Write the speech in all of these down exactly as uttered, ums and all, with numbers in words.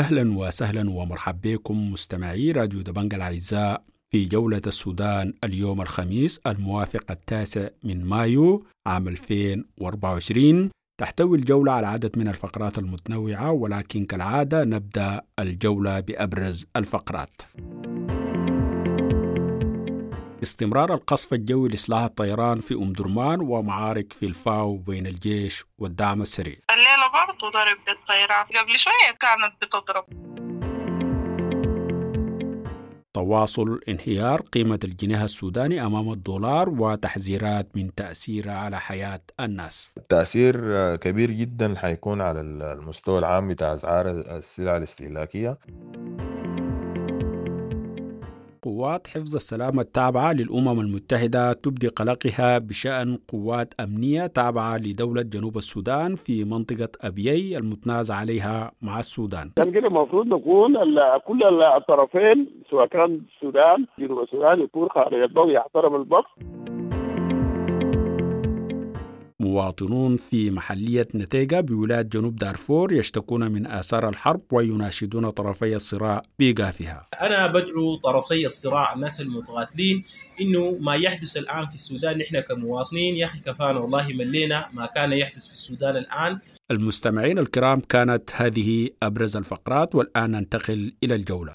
أهلا وسهلا ومرحبا بكم مستمعي راديو دبنج الأعزاء في جولة السودان اليوم الخميس الموافق التاسع من مايو عام ألفين وأربعة وعشرين. تحتوي الجولة على عدد من الفقرات المتنوعة، ولكن كالعادة نبدأ الجولة بأبرز الفقرات. استمرار القصف الجوي لسلاح الطيران في أم درمان ومعارك في الفاو بين الجيش والدعم السريع. الليلة برضو ضرب بالطيران، قبل شوية كانت بتضرب. تواصل انهيار قيمة الجنيه السوداني أمام الدولار وتحذيرات من تأثيره على حياة الناس. التأثير كبير جدا، حيكون على المستوى العام بتاع أسعار السلع الاستهلاكية. قوات حفظ السلام التابعة للأمم المتحدة تبدي قلقها بشأن قوات أمنية تابعة لدولة جنوب السودان في منطقة أبيي المتنازع عليها مع السودان. كان كده المفروض نكون كل الطرفين، سواء كان السودان، جنوب السودان، يكون خارج الضوء، يحترم البعض. مواطنون في محلية نتيجة بولاية جنوب دارفور يشتكون من آثار الحرب ويناشدون طرفي الصراع بإيقافها. أنا بدعو طرفي الصراع، الناس المتقاتلين، إنه ما يحدث الآن في السودان، نحن كمواطنين يا أخي كفانا، والله ملينا ما كان يحدث في السودان الآن. المستمعين الكرام، كانت هذه أبرز الفقرات، والآن ننتقل إلى الجولة.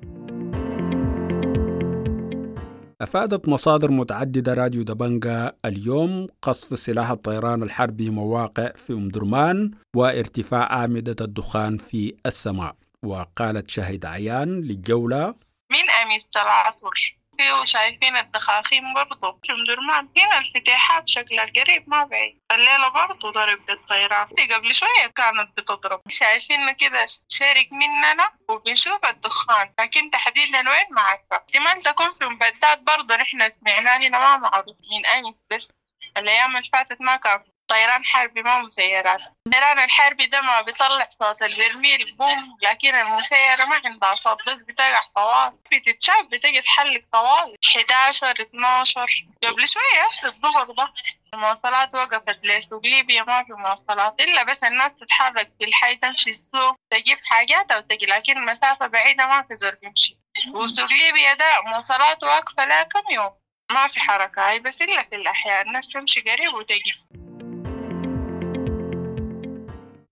أفادت مصادر متعددة راديو دبنجا اليوم قصف سلاح الطيران الحربي مواقع في أم درمان وارتفاع أعمدة الدخان في السماء. وقالت شاهد عيان للجولة: من أمس العصر في وشايفين الدخاخين برضو في أم درمان، هنا الفتيحاب شكلها قريب ما بعيد. الليلة برضو ضرب بالطيران، قبل شوية كانت بتضرب. شايفين كده شرق مننا وبنشوف الدخان، لكن تحديدا وين ما عارفة. احتمال تكون في مبدات برضو، نحن سمعناه هنا، ما معروف. من أمس بس، الأيام اللي فاتت ما كان طيران حربي، ما مسيرات. الطيران الحربي ده ما بيطلع صوت البرميل بوم، لكن المسيرة ما عندها صوت، بس بتقع طوال، بتتشاف، بتجي تحلق طوال. حداشر، اتناشر، قبل شوية الظهر ده. المواصلات وقفت لسوق ليبيا، ما في مواصلات، إلا بس الناس تتحرك في الحي، تمشي السوق تجيب حاجات أو تجي، لكن مسافة بعيدة ما في زول بيمشي. وسوق ليبيا ده مواصلات واقفة لا كم يوم، ما في حركة هاي، بس إلا في الأحياء الناس تمشي قريب وتجي.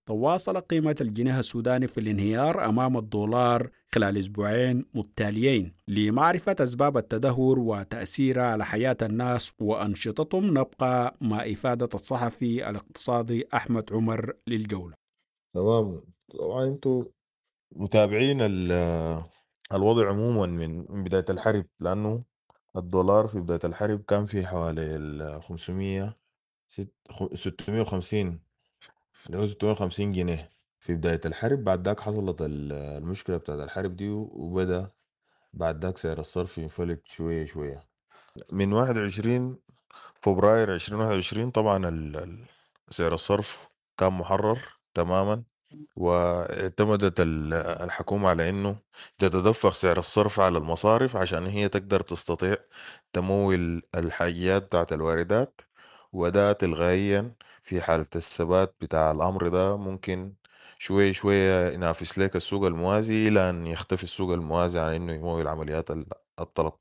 تواصل قيمة الجنيه السوداني في الانهيار أمام الدولار خلال أسبوعين متتاليين. لمعرفة أسباب التدهور وتأثيرها على حياة الناس وأنشطتهم، نبقى مع إفادة الصحفي الاقتصادي أحمد عمر للجولة. تمام، طبعا انتوا متابعين الوضع عموما من بداية الحرب، لأنه الدولار في بداية الحرب كان في حوالي ال خمسمية، ستمية وخمسين، اللي هو ستمية وخمسين جنيه في بداية الحرب. بعد ذاك حصلت المشكلة بتاعت الحرب دي، وبدأ بعد ذاك سعر الصرف ينفلت شوية شوية. من واحد وعشرين فبراير ألفين وواحد وعشرين طبعا سعر الصرف كان محرر تماما، واعتمدت الحكومة على انه تتدفق سعر الصرف على المصارف عشان هي تقدر تستطيع تمول الحاجيات بتاعت الواردات، وده تلقائيا في حالة الثبات بتاع الأمر ده ممكن شوية شوية ينافس لك السوق الموازي، إلى أن يختفي السوق الموازي عن إنه يمول عمليات الطلب.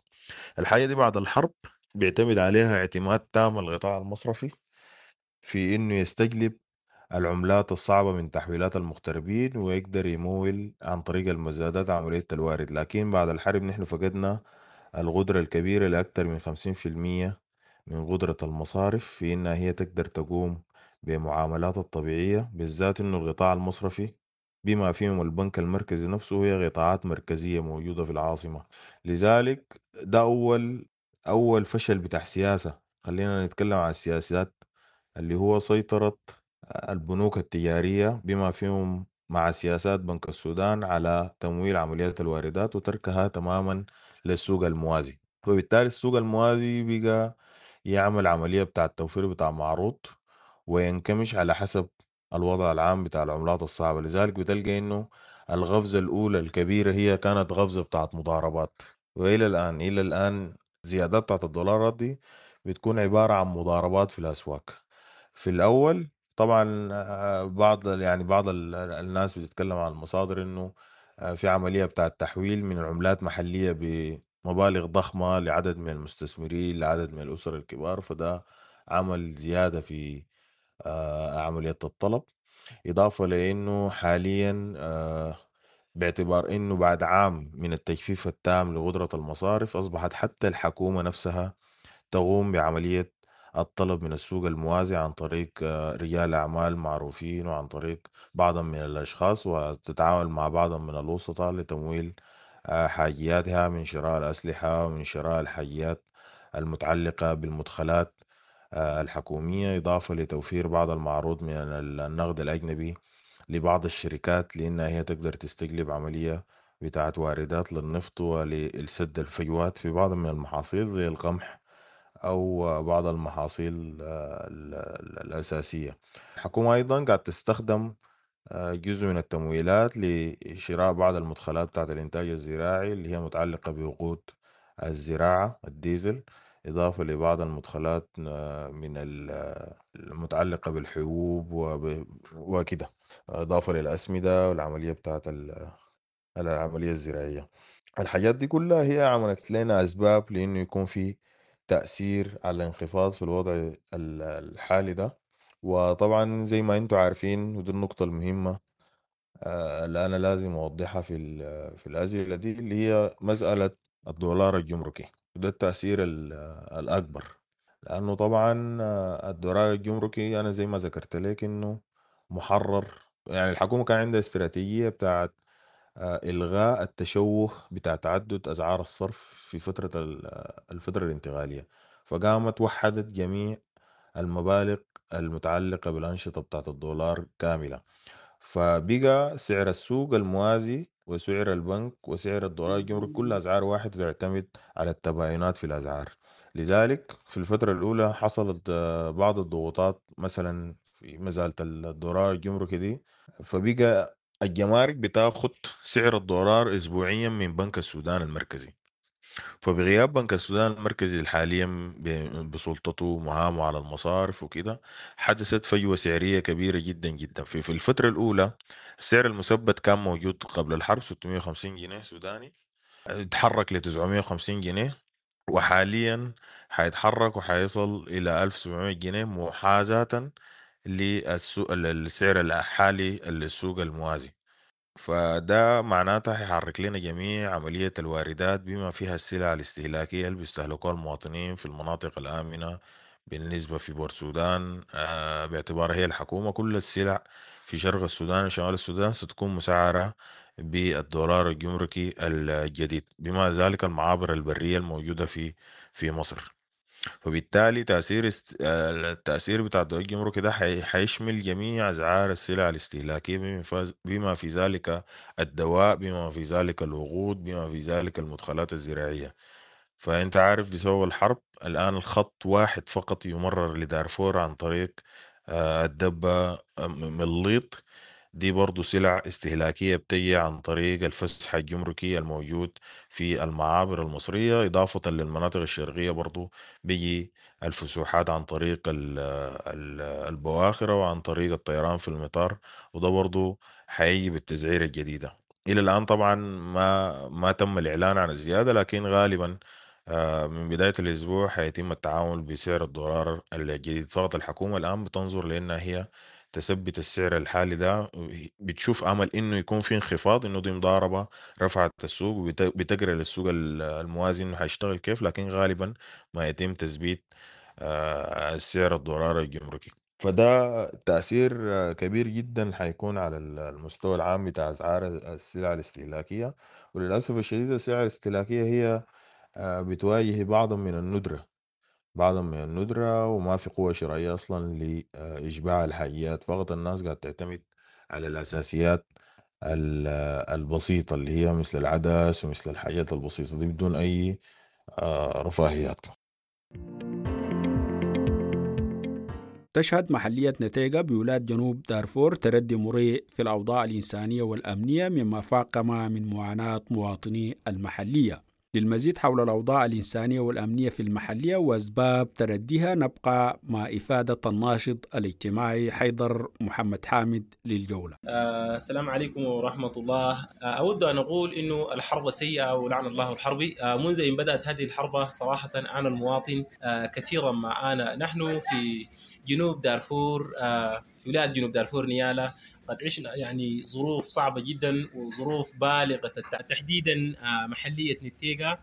الحاجة دي بعد الحرب بيعتمد عليها اعتماد تام القطاع المصرفي في إنه يستجلب العملات الصعبة من تحويلات المغتربين ويقدر يمول عن طريق المزادات عملية الوارد. لكن بعد الحرب نحن فقدنا القدرة الكبيرة لأكثر من خمسين في المية من قدرة المصارف في إنها هي تقدر تقوم بمعاملات الطبيعية، بالذات إنه القطاع المصرفي بما فيهم البنك المركزي نفسه هي قطاعات مركزية موجودة في العاصمة. لذلك ده أول أول فشل بتاع سياسة، خلينا نتكلم عن السياسات، اللي هو سيطرة البنوك التجارية بما فيهم مع سياسات بنك السودان على تمويل عمليات الواردات وتركها تماما للسوق الموازي. وبالتالي السوق الموازي بقى يعمل عملية بتاع التوفير بتاع معروض وينكمش على حسب الوضع العام بتاع العملات الصعبة. لذلك بتلقى انه القفزة الأولى الكبيرة هي كانت قفزة بتاعت مضاربات، وإلى الآن إلى الآن زيادات بتاعت الدولارات دي بتكون عبارة عن مضاربات في الأسواق. في الأول طبعا آه، بعض يعني بعض الناس بتتكلم عن المصادر انه في عملية بتاع التحويل من عملات محلية بمبالغ ضخمة لعدد من المستثمرين، لعدد من الأسر الكبار، فده عمل زيادة في عملية الطلب. إضافة لأنه حاليا باعتبار أنه بعد عام من التجفيف التام لقدرة المصارف، أصبحت حتى الحكومة نفسها تقوم بعملية الطلب من السوق الموازي عن طريق رجال أعمال معروفين وعن طريق بعض من الأشخاص، وتتعامل مع بعض من الوسطاء لتمويل حاجياتها من شراء الأسلحة ومن شراء الحاجيات المتعلقة بالمدخلات الحكومية، إضافة لتوفير بعض المعروض من النقد الأجنبي لبعض الشركات لأنها هي تقدر تستجلب عملية بتاعت واردات للنفط ولسد الفجوات في بعض من المحاصيل زي القمح أو بعض المحاصيل الأساسية. الحكومة أيضا قاعد تستخدم جزء من التمويلات لشراء بعض المدخلات بتاعت الإنتاج الزراعي اللي هي متعلقة بوقود الزراعة الديزل، إضافة لبعض المدخلات من المتعلقة بالحبوب وكده، إضافة للأسمدة والعملية بتاعت العملية الزراعية. الحاجات دي كلها هي عملت لنا أسباب لأنه يكون في تأثير على الانخفاض في الوضع الحالي ده. وطبعا زي ما انتم عارفين، ودي النقطة المهمة اللي أنا لازم أوضحها في في الأسئلة دي، اللي هي مسألة الدولار الجمركي، وده التأثير الأكبر، لأنه طبعا الدولار الجمركي أنا زي ما ذكرت لك إنه محرر. يعني الحكومة كان عندها استراتيجية بتاعت إلغاء التشوه بتاع تعدد أسعار الصرف في فترة الفترة الانتقالية، فقامت وحدت جميع المبالغ المتعلقة بالأنشطة بتاعت الدولار كاملة، فبقى سعر السوق الموازي وسعر البنك وسعر الدولار الجمركي كل أسعار واحد تعتمد على التباينات في الأسعار. لذلك في الفترة الأولى حصلت بعض الضغوطات مثلا في مزالة الدولار الجمركي دي، فبقى الجمارك بتاخد سعر الدولار أسبوعيا من بنك السودان المركزي. فبغياب بنك السودان المركزي حاليا بسلطته ومهامه على المصارف وكده، حدثت فجوة سعرية كبيرة جدا جدا. في, في الفترة الأولى السعر المثبت كان موجود قبل الحرب ستمية وخمسين جنيه سوداني، اتحرك ل تسعمية وخمسين جنيه، وحاليا حيتحرك وحيصل إلى ألف وسبعمية جنيه محاذاة للسعر الحالي للسوق الموازي. فده معناته حيحرك لنا جميع عملية الواردات بما فيها السلع الاستهلاكية اللي بيستهلكوها المواطنين في المناطق الآمنة بالنسبة في بور السودان، باعتبارها هي الحكومة كل السلع في شرق السودان وشمال السودان ستكون مسعرة بالدولار الجمركي الجديد، بما ذلك المعابر البرية الموجودة في في مصر. فبالتالي تأثير است... التأثير بتاع الدولار الجمركي ده حيشمل جميع أسعار السلع الاستهلاكية بما في ذلك الدواء، بما في ذلك الوقود، بما في ذلك المدخلات الزراعية. فأنت عارف بسبب الحرب الآن الخط واحد فقط يمرر لدارفور عن طريق الدبة مليط، دي برضو سلع استهلاكية بتجي عن طريق الفسح الجمركي الموجود في المعابر المصرية، إضافة للمناطق الشرقية برضو بيجي الفسوحات عن طريق البواخرة وعن طريق الطيران في المطار، وده برضو حيجي بالتسعير الجديدة. إلى الآن طبعا ما ما تم الإعلان عن الزيادة، لكن غالبا من بداية الأسبوع حيتم التعامل بسعر الدولار الجديد. فقط الحكومة الآن بتنظر لأنها هي تثبت السعر الحالي ده، بتشوف امل انه يكون في انخفاض، انه دي مضاربه رفعت السوق وبتقرا للسوق الموازي انه حيشتغل كيف، لكن غالبا ما يتم تثبيت السعر الدولار الجمركي. فده تاثير كبير جدا حيكون على المستوى العام بتاع اسعار السلع الاستهلاكيه. وللاسف الشديد السلع الاستهلاكيه هي بتواجه بعض من الندره بعضا من الندرة، وما في قوة شرائية أصلا لإشباع الحاجيات، فقط الناس قاعدة تعتمد على الأساسيات البسيطة اللي هي مثل العدس ومثل الحاجات البسيطة دي بدون أي رفاهيات. تشهد محلية نتيجة بولاية جنوب دارفور تردي مريء في الأوضاع الإنسانية والأمنية، مما فاقم من معاناة مواطني المحلية. للمزيد حول الأوضاع الإنسانية والأمنية في المحلية وأسباب ترديها نبقى مع إفادة الناشط الاجتماعي حيدر محمد حامد للجولة. آه السلام عليكم ورحمة الله. آه أود أن أقول أنه الحرب سيئة ولعن الله الحرب. آه منذ أن بدأت هذه الحرب صراحة أنا المواطن آه كثيرا ما أنا نحن في جنوب دارفور، آه في ولاية جنوب دارفور نيالا، قد عشنا يعني ظروف صعبة جدا وظروف بالغة، تحديدا محلية نتيجة.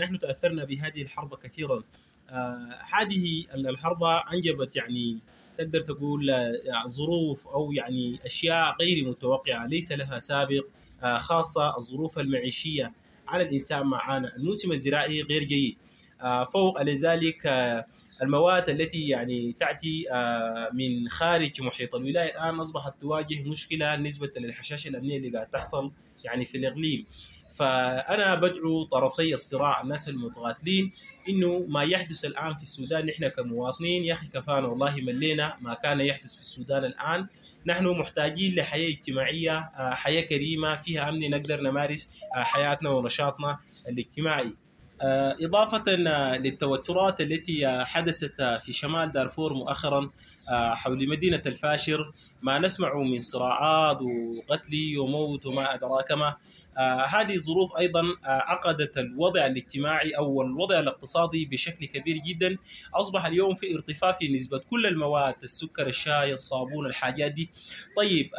نحن تأثرنا بهذه الحرب كثيرا. هذه الحرب أنجبت يعني تقدر تقول ظروف أو يعني أشياء غير متوقعة ليس لها سابق، خاصة الظروف المعيشية على الإنسان معانا. الموسم الزراعي غير جيد، فوق لذلك المواد التي يعني تأتي من خارج محيط الولاية الآن أصبحت تواجه مشكلة نسبة للحشاشة الأمنية اللي قاعد تحصل يعني في الإقليم. فأنا بدعو طرفي الصراع الناس المتقاتلين إنه ما يحدث الآن في السودان نحن كمواطنين يا أخي كفانا والله، ملينا ما كان يحدث في السودان الآن. نحن محتاجين لحياة اجتماعية، حياة كريمة فيها أمن نقدر نمارس حياتنا ونشاطنا الاجتماعي. إضافة للتوترات التي حدثت في شمال دارفور مؤخرا حول مدينة الفاشر، ما نسمع من صراعات وقتل وموت وما أدراك ما، هذه الظروف أيضا عقدت الوضع الاجتماعي أو الوضع الاقتصادي بشكل كبير جدا. أصبح اليوم في ارتفاع في نسبة كل المواد، السكر، الشاي، الصابون، الحاجات دي. طيب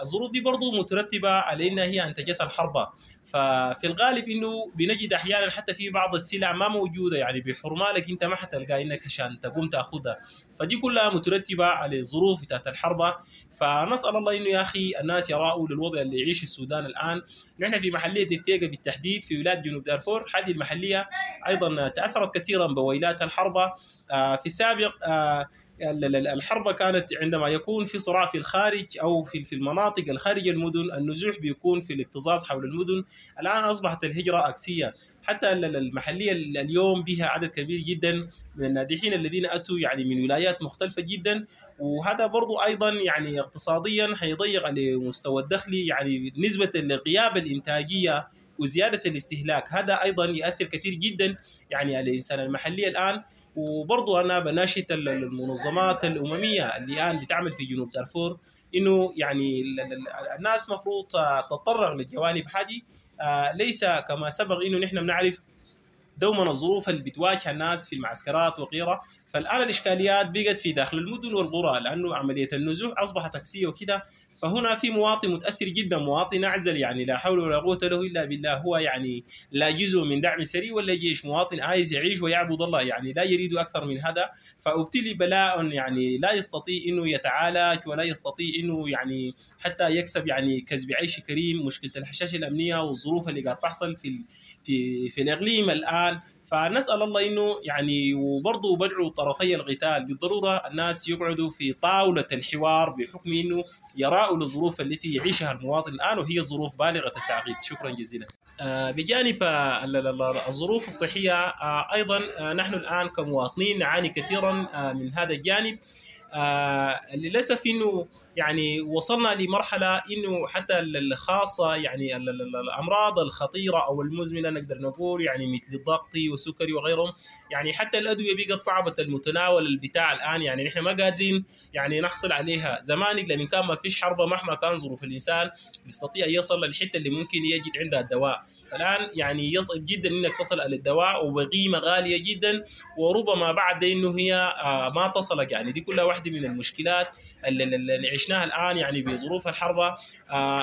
الظروف دي برضو مترتبة على أنها هي أنتجتها الحرب. ففي الغالب انه بنجد احيانا حتى في بعض السلع ما موجودة، يعني بحرمالك انت ما حتلقى انك عشان تقوم تاخذها، فدي كلها مترتبة على الظروف بتاعت الحرب. فنسال الله انه يا اخي الناس يراوا للوضع اللي يعيش السودان الان. نحن في محليه نتيجة بالتحديد في ولاية جنوب دارفور، هذه المحلية ايضا تاثرت كثيرا بويلات الحرب. في السابق الحرب كانت عندما يكون في صراع في الخارج أو في في المناطق الخارج المدن، النزوح بيكون في الاكتظاظ حول المدن. الآن أصبحت الهجرة عكسية، حتى المحلية اليوم بها عدد كبير جدا من النازحين الذين أتوا يعني من ولايات مختلفة جدا، وهذا برضو أيضا يعني اقتصاديا حيضيق على مستوى الدخل، يعني نسبة لغياب الإنتاجية وزيادة الاستهلاك، هذا أيضا يؤثر كثير جدا يعني على الإنسان المحلي الآن. وبرضو أنا بناشد المنظمات الأممية اللي الآن بتعمل في جنوب دارفور إنه يعني الناس مفروض تتطرق للجوانب هذه، ليس كما سبق إنه نحن بنعرف دوما الظروف اللي بتواجه الناس في المعسكرات وغيرها. فالآن الإشكاليات بقت في داخل المدن والقرى، لأنه عملية النزوح أصبحت عكسية وكده. فهنا في مواطن متأثر جدا، مواطن أعزل يعني لا حول ولا قوة له إلا بالله، هو يعني لا جزء من دعم سري ولا جيش، مواطن عايز يعيش ويعبد الله، يعني لا يريد أكثر من هذا. فابتلي بلاء يعني لا يستطيع إنه يتعالج ولا يستطيع إنه يعني حتى يكسب يعني كسب عيش كريم. مشكلة الحشاشة الأمنية والظروف اللي قاعد تحصل في في في الإقليم الآن. فنسأل الله إنه يعني، وبرضه بدعو طرفي القتال بالضرورة الناس يقعدوا في طاولة الحوار بحكم إنه يراءوا الظروف التي يعيشها المواطن الآن، وهي ظروف بالغة التعقيد. شكرا جزيلا. بجانب الظروف الصحية أيضا نحن الآن كمواطنين نعاني كثيرا من هذا الجانب. آه للأسف إنه يعني وصلنا لمرحلة إنه حتى الخاصة يعني الأمراض الخطيرة أو المزمنة نقدر نقول يعني مثل الضغط والسكري وغيرهم، يعني حتى الأدوية بقت صعبة المتناول البتاع الآن، يعني نحن ما قادرين يعني نحصل عليها. زمان لما كان ما فيش حرب مهما كان ظروف الإنسان بيستطيع يصل للحتة اللي ممكن يجد عندها الدواء. الآن يعني يصعب جدا إنك تصل على الدواء وبقيمة غالية جدا، وربما بعد إنه هي آه ما تصلك. يعني دي كلها واحدة من المشكلات اللي, اللي عشناها الآن يعني بظروف الحرب.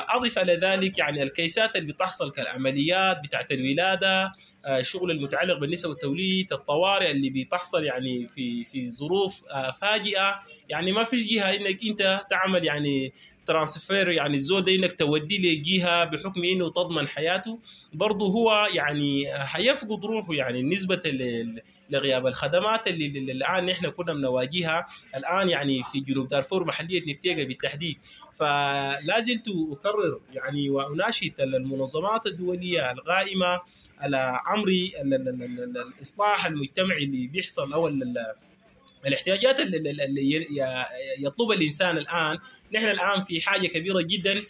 أضف على ذلك يعني الكيسات اللي بتحصل كالعمليات بتاعت الولادة، الشغل المتعلق بالنساء والتوليد، الطوارئ اللي بتحصل يعني في في ظروف فاجئة، يعني ما فيش جهة إنك أنت تعمل يعني transfer يعني الزول ده إنك توديه لجهة بحكم إنه تضمن حياته، برضه هو يعني حيفقد روحه يعني نسبة لغياب الخدمات اللي, اللي الآن نحن كنا بنواجهها الآن يعني في جنوب دارفور محلية نتيجة بالتحديد. فلا زلت أكرر يعني وأناشد المنظمات الدولية القائمة على أمر الإصلاح المجتمعي اللي بيحصل أو الاحتياجات اللي يطلبها الإنسان الآن. نحن الآن في حاجة كبيرة جدا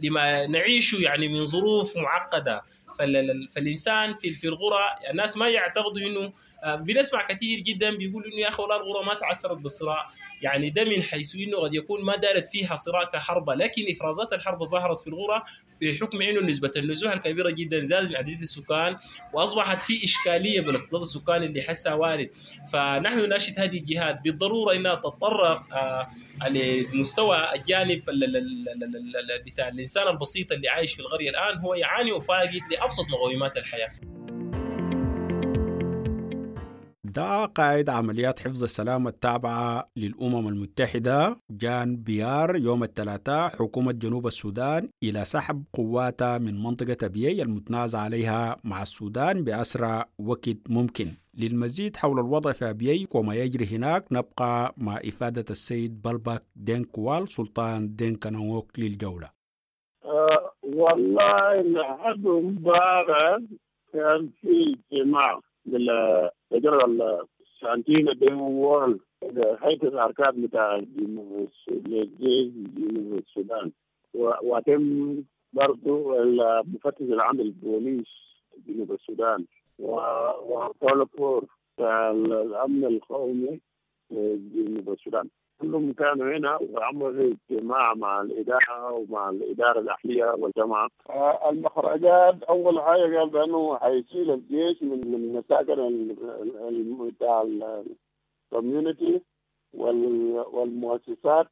لما نعيشه يعني من ظروف معقدة. فالانسان في في القرى الناس ما يعتقدوا انه، بنسمع كثير جدا بيقولوا انه يا اخي والله القرى ما تعثرت بالصراع، يعني ده من حيث انه قد يكون ما دارت فيها صراع كحربه، لكن افرازات الحرب ظهرت في القرى بحكم انه نسبه النزوح الكبيرة جدا زادت من عدد السكان، واصبحت في اشكالية بالاكتظاظ السكاني اللي حسها وارد. فنحن نناشد هذه الجهات بالضرورة انها تتطرق لمستوى الجانب بتاع الانسان البسيط اللي عايش في القرية الان، هو يعاني وفاقد لابسط مقومات الحياة. دعا قائد عمليات حفظ السلام التابعة للأمم المتحدة جان بيار يوم الثلاثاء حكومة جنوب السودان إلى سحب قواتها من منطقة أبيي المتنازع عليها مع السودان بأسرع وقت ممكن. للمزيد حول الوضع في أبيي وما يجري هناك نبقى مع إفادة السيد بلبك دينكوال سلطان دينكانوك للجولة. أه والله لحد امبارح كان في اجتماع للرجل السانتينا دين هيئة الأركان بتاع الجيش جنوب السودان، وتم برضو المفتش العام للبوليس جنوب السودان وطالبور الأمن القومي جنوب السودان، كلهم كانوا هنا وعملوا اجتماع مع الإدارة ومع الإدارة الأهلية والجامعة. المخرجات أول حاجة قال بأنه حيشيل الجيش من من مساكن بتاع ال community والمؤسسات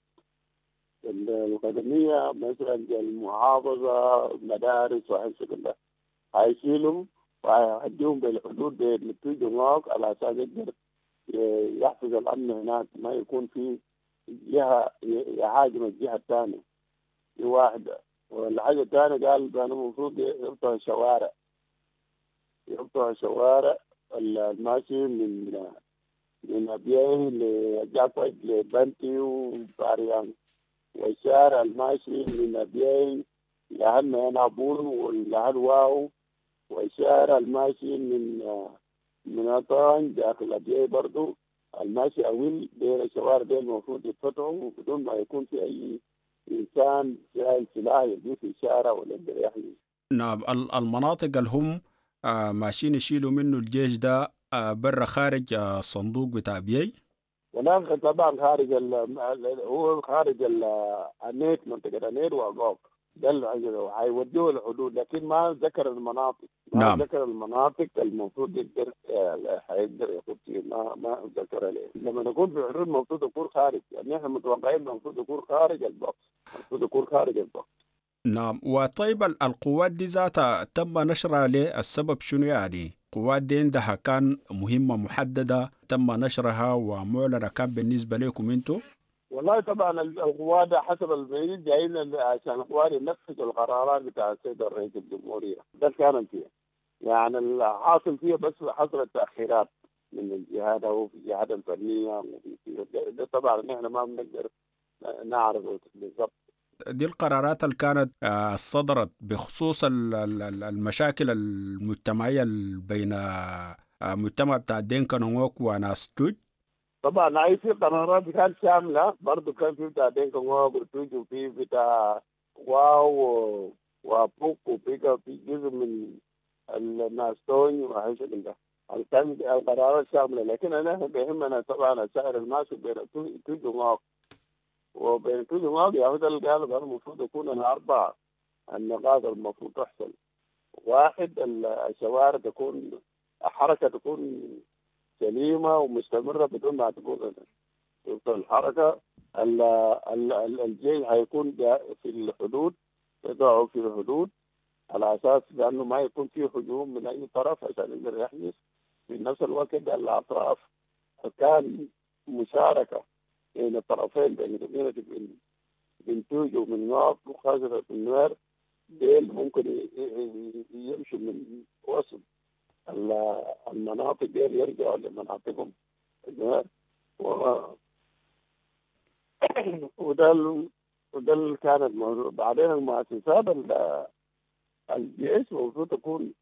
الخدمية مثلا المحافظة المدارس وحاجات كده، حيشيلهم وهيديهم بالحدود بين توج على أساس يقدر يحفظ الأمن هناك، ما يكون في جهة يهاجم الجهة الثانية. دي واحدة. والحاجة الثانية قال بأنه المفروض يقطعوا الشوارع، يقطعوا الشوارع الماشي من من أبيي لجاكوج لبنتي وباريان، والشارع الماشي من أبيي لهن نابول ولهن واو، والشارع الماشي من من أطان داخل أبيي برضو الماشي أول دير الشوارع دي المفروض يتفتحوا بدون ما يكون في أي إنسان شايل سلاح يجي في الشارع ولا يقدر يحمي. نعم، المناطق اللي هم ماشيين يشيلوا منه الجيش ده برا خارج الصندوق بتاع أبيي؟ ولا طبعا خارج ال هو خارج النيت، منطقة النيت وأقوك ده اللي هيودوه الحدود، لكن ما ذكر المناطق. ما نعم. ذكر المناطق المفروض يقدر هيقدر ياخد فيه، ما ما ذكر ليه. لما نكون في الحدود المفروض يكون خارج، يعني احنا متوقعين المفروض يكون خارج ال box، المفروض يكون خارج ال box. نعم. وطيب القوات دي ذاتها تم نشرها ليه؟ السبب شنو يعني؟ القوات دي عندها كان مهمة محددة تم نشرها ومعلنة كان بالنسبة لكم انتم؟ والله طبعا القوات حسب البيت جايين عشان القوات ينفذوا القرارات بتاع السيد الرئيس الجمهورية، ده كان فيها يعني الحاصل فيها، بس حصلت تأخيرات من الجهات وفي الجهات الفنية، ده طبعا نحن ما بنقدر نعرف بالضبط. دي القرارات اللي كانت صدرت بخصوص المشاكل المجتمعية بين مجتمع بتاع دينكا نوك وناس توج. طبعا اي في قرارات كانت شاملة برضه، كان في بتاع دينكا نوك وتوج، وفي بتاع واو وبوك، وفي في جزء من الناس توني وحاجه كده. كان القرارات شاملة، لكن انا بيهمنا طبعا سعر الماشي بين توج ونوك، وبين توج ونوك يا هذا اللي قالوا المفروض يكون الاربع النقاط المفروض تحصل. واحد، الشوارع تكون حركة تكون سليمة ومستمرة بدون ما تكون الحركة. ال ال الجيش هيكون في الحدود، يضعوا في الحدود على اساس بانه ما يكون في هجوم من اي طرف عشان يقدر يحمي. في نفس الوقت الاطراف كان مشاركة بين الطرفين، بين بين بين توج ومن نوك وخاصة من نوير، ديل ممكن يمشوا من وسط المناطق ديل يرجعوا لمناطقهم. و... وده ال... وده اللي كان الموضوع. بعدين المؤسسات الجيش المفروض تكون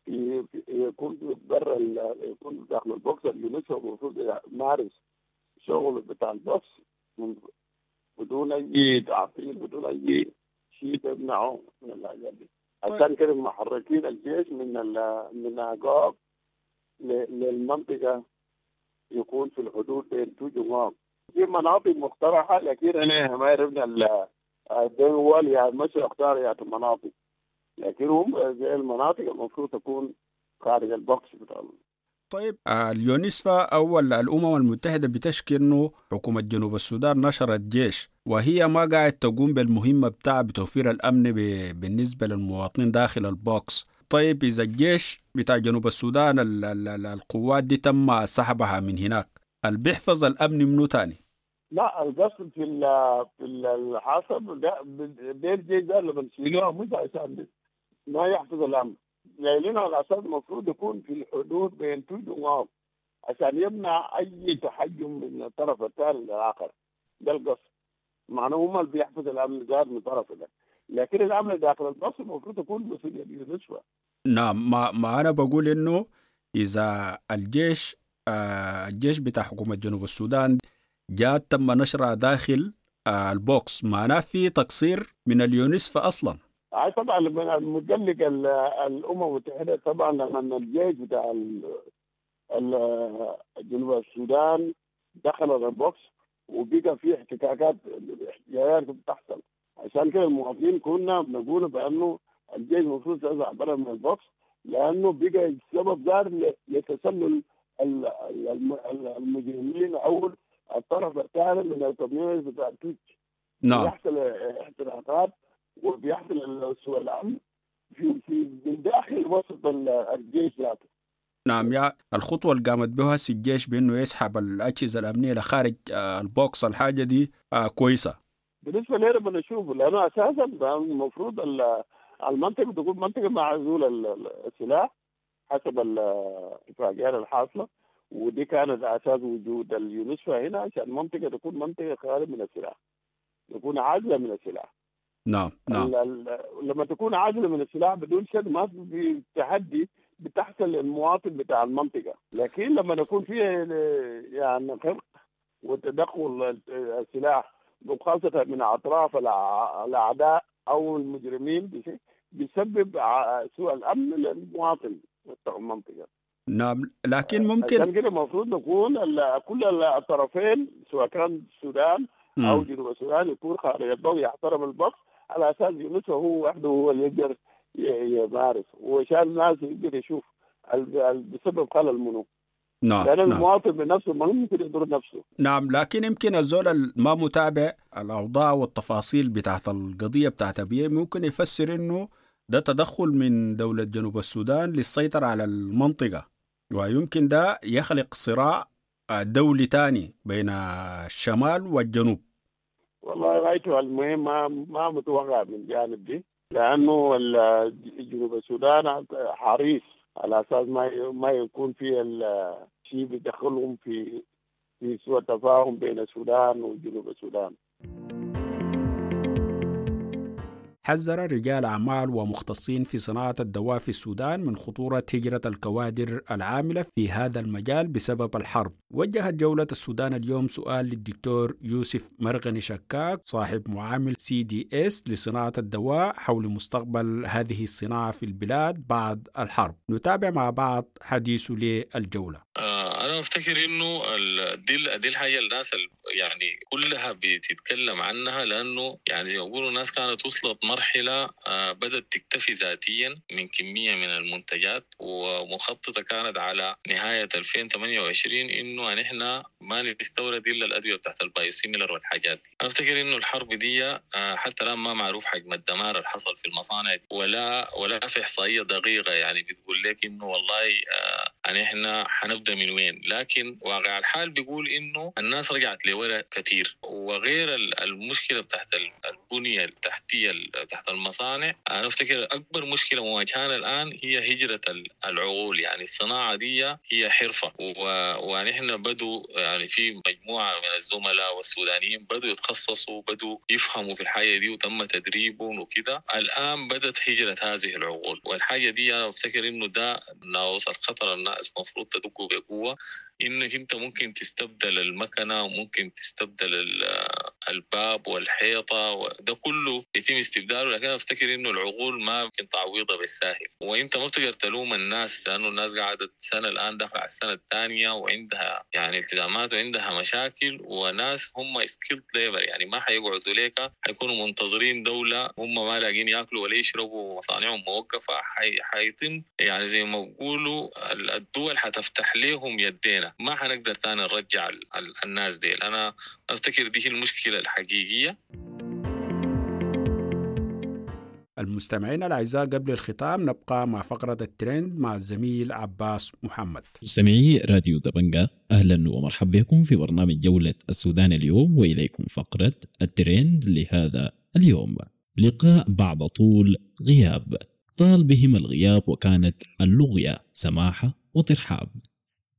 في يكون برا ال... يكون داخل ال box. اليونسكو المفروض يمارس شغل بتاع ال box بدون اي تعطيل، بدون اي شيء تمنعه من الحاجات دي. عشان كده محركين الجيش من ال من أقوك للمنطقة يكون في الحدود بين توج وماغ. في مناطق مقترحة، لكن أنا ما عرفنا الدول يعني مش اختار يعني المناطق، لكن هم زي المناطق المفروض تكون خارج ال box بتاع. طيب اليونسفا أو الأمم المتحدة بتشكي إنه حكومة جنوب السودان نشرت جيش وهي ما قاعد تقوم بالمهمة بتاع بتوفير الأمن بالنسبة للمواطنين داخل ال box. طيب إذا الجيش بتاع جنوب السودان ال ال القوات دي تم سحبها من هناك، اللي بيحفظ الأمن منو تاني؟ لا، القصد في ال في الحسب ده ده الجيش ده اللي بنشيلوها مش عشان ما يحفظ الأمن، لأنه على أساس المفروض يكون في الحدود بين توج وماغ عشان يمنع أي تحجم من الطرف الثاني للآخر. ده القصد، معناه هم اللي بيحفظ الأمن زاد من طرف ده، لكن الأمن داخل ال box المفروض يكون مسؤولية اليونسفا. نعم، ما, ما أنا بقول إنه إذا الجيش آه الجيش بتاع حكومة جنوب السودان جاء تم نشرها داخل آه ال box، معناه في تقصير من اليونسفا أصلا. طبعا المتقلق الامم المتحدة طبعا لما الجيش بتاع جنوب السودان دخل ال box وبقى في احتكاكات احتجاجات بتحصل، عشان كده المواطنين كنا بنقول بانه الجيش المفروض يطلع برا من ال box، لانه بقى السبب زار لتسلل المجرمين او الطرف الثاني من ال community بتاع توج. نعم، بيحصل احتراقات وبيحصل سوء الامن في في من داخل وسط الجيش ذاته. نعم، يا الخطوة اللي قامت بها الجيش بانه يسحب الاجهزة الامنية لخارج ال box، الحاجة دي كويسة بالنسبة لنا بنشوفه، لانه اساسا المفروض المنطقة تكون منطقة معزولة السلاح حسب الاتفاقيات الحاصلة، ودي كانت اساس وجود اليونسفا هنا عشان المنطقة تكون منطقة خالية من السلاح، تكون عازله من السلاح. نعم نعم. لما تكون عازله من السلاح بدون شك ما في تحدي بتحصل للمواطن بتاع المنطقة، لكن لما يكون فيه يعني خرق وتدخل السلاح وخاصة من اطراف الاعداء او المجرمين بيسبب سوء الامن للمواطن بتاع المنطقة. نعم، لكن ممكن عشان كده المفروض نكون كل الطرفين سواء كان السودان او جنوب السودان يكون خارج الضوء يحترم ال box على اساس يونسفا هو وحده هو اللي يقدر يمارس، وعشان الناس يقدر يشوف بسبب خلل منه. نعم، لأن نعم. المواطن بنفسه ما ممكن يضر نفسه. نعم، لكن يمكن الزول ما متابع الأوضاع والتفاصيل بتاعت القضية بتاعت أبيي ممكن يفسر إنه ده تدخل من دولة جنوب السودان للسيطرة على المنطقة، ويمكن ده يخلق صراع دولي تاني بين الشمال والجنوب. والله غايته المهم ما ما متوقع من الجانب دي، لأنه جنوب السودان حريص على اساس ما ما يكون في الشيء بيدخلهم في في سوء تفاهم بين السودان وجنوب السودان. حذر رجال أعمال ومختصين في صناعة الدواء في السودان من خطورة هجرة الكوادر العاملة في هذا المجال بسبب الحرب. وجهت جولة السودان اليوم سؤال للدكتور يوسف مرغني شكاك صاحب معامل سي دي اس لصناعة الدواء حول مستقبل هذه الصناعة في البلاد بعد الحرب. نتابع مع بعض حديثه للجولة. أنا أفتكر إنه دي دي الحاجة الناس يعني كلها بتتكلم عنها، لأنه يعني يقولوا الناس كانت وصلت مرحلة بدأت تكتفي ذاتيا من كمية من المنتجات، ومخططة كانت على نهاية ألفين وثمانية وعشرين إنه نحن ما نستورد إلا الأدوية بتاعت ال biosimilar والحاجات دي. أنا أفتكر إنه الحرب دي حتى الآن ما معروف حجم الدمار اللي حصل في المصانع، ولا ولا في إحصائية دقيقة يعني بتقول لك إنه والله نحن حنبدأ من وين، لكن واقع الحال بيقول إنه الناس رجعت لورا كثير. وغير المشكلة بتاعت البنية التحتية تحت المصانع، أنا أفتكر أكبر مشكلة مواجهانا الآن هي هجرة العقول. يعني الصناعة دي هي حرفة، ونحن بدو يعني في مجموعة من الزملاء والسودانيين بدوا يتخصصوا، بدوا يفهموا في الحاجة دي وتم تدريبهم وكده. الآن بدت هجرة هذه العقول، والحاجة دي أنا أفتكر إنه ده ناقوس الخطر، الناس المفروض تدقوا بقوة إنك أنت ممكن تستبدل المكنة وممكن تستبدل الباب والحيطة، ده كله يتم استبداله، لكن أفتكر إنه العقول ما ممكن تعويضها بالساهل. وإنت ما بتقدر تلوم الناس لأنه الناس قعدت سنة الآن داخل على السنة الثانية وعندها يعني التزامات وعندها مشاكل، وناس هم skilled labor يعني ما حيقعدوا ليك، حيكونوا منتظرين دولة هم ما لاقين ياكلوا ولا يشربوا ومصانعهم موقفة. حي... حيتم يعني زي ما بقولوا الدول حتفتح لهم يدينا، ما حنقدر تاني نرجع الناس دي. أنا أفتكر دي هي المشكلة الحقيقية. المستمعين الأعزاء، قبل الختام نبقى مع فقرة الترند مع الزميل عباس محمد. مستمعي راديو دبنجة، أهلا ومرحبا بكم في برنامج جولة السودان اليوم، وإليكم فقرة الترند لهذا اليوم. لقاء بعد طول غياب، طال بهم الغياب وكانت اللغية سماحة وترحاب.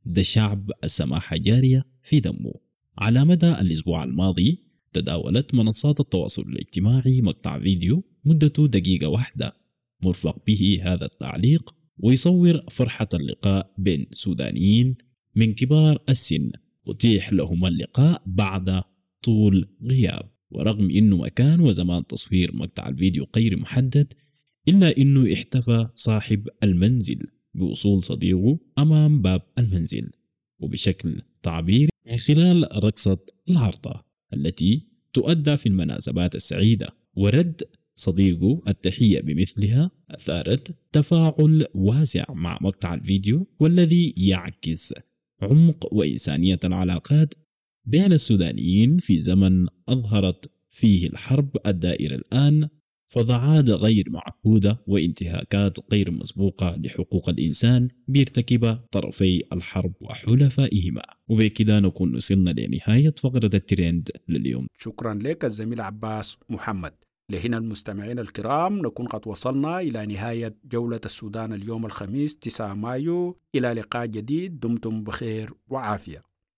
ده الشعب السماحة جارية في دمه. على مدى الأسبوع الماضي تداولت منصات التواصل الاجتماعي مقطع فيديو مدته دقيقة واحدة مرفق به هذا التعليق، ويصور فرحة اللقاء بين سودانيين من كبار السن أتيح لهم اللقاء بعد طول غياب. ورغم إنه مكان وزمان تصوير مقطع الفيديو غير محدد، إلا إنه احتفى صاحب المنزل بوصول صديقه أمام باب المنزل، وبشكل تعبيري من خلال رقصة العرضة التي تؤدى في المناسبات السعيدة، ورد صديقه التحية بمثلها أثارت تفاعل واسع مع مقطع الفيديو، والذي يعكس عمق وإنسانية العلاقات بين السودانيين في زمن أظهرت فيه الحرب الدائرة الآن فضاعات غير معهودة وانتهاكات غير مسبوقة لحقوق الإنسان بيرتكبها طرفي الحرب وحلفائهما. وبكذا نكون وصلنا لنهاية فقرة الترند لليوم. شكرا لك الزميل عباس محمد. لهنا المستمعين الكرام نكون قد وصلنا إلى نهاية جولة السودان اليوم الخميس تسعة مايو. إلى لقاء جديد، دمتم بخير وعافية.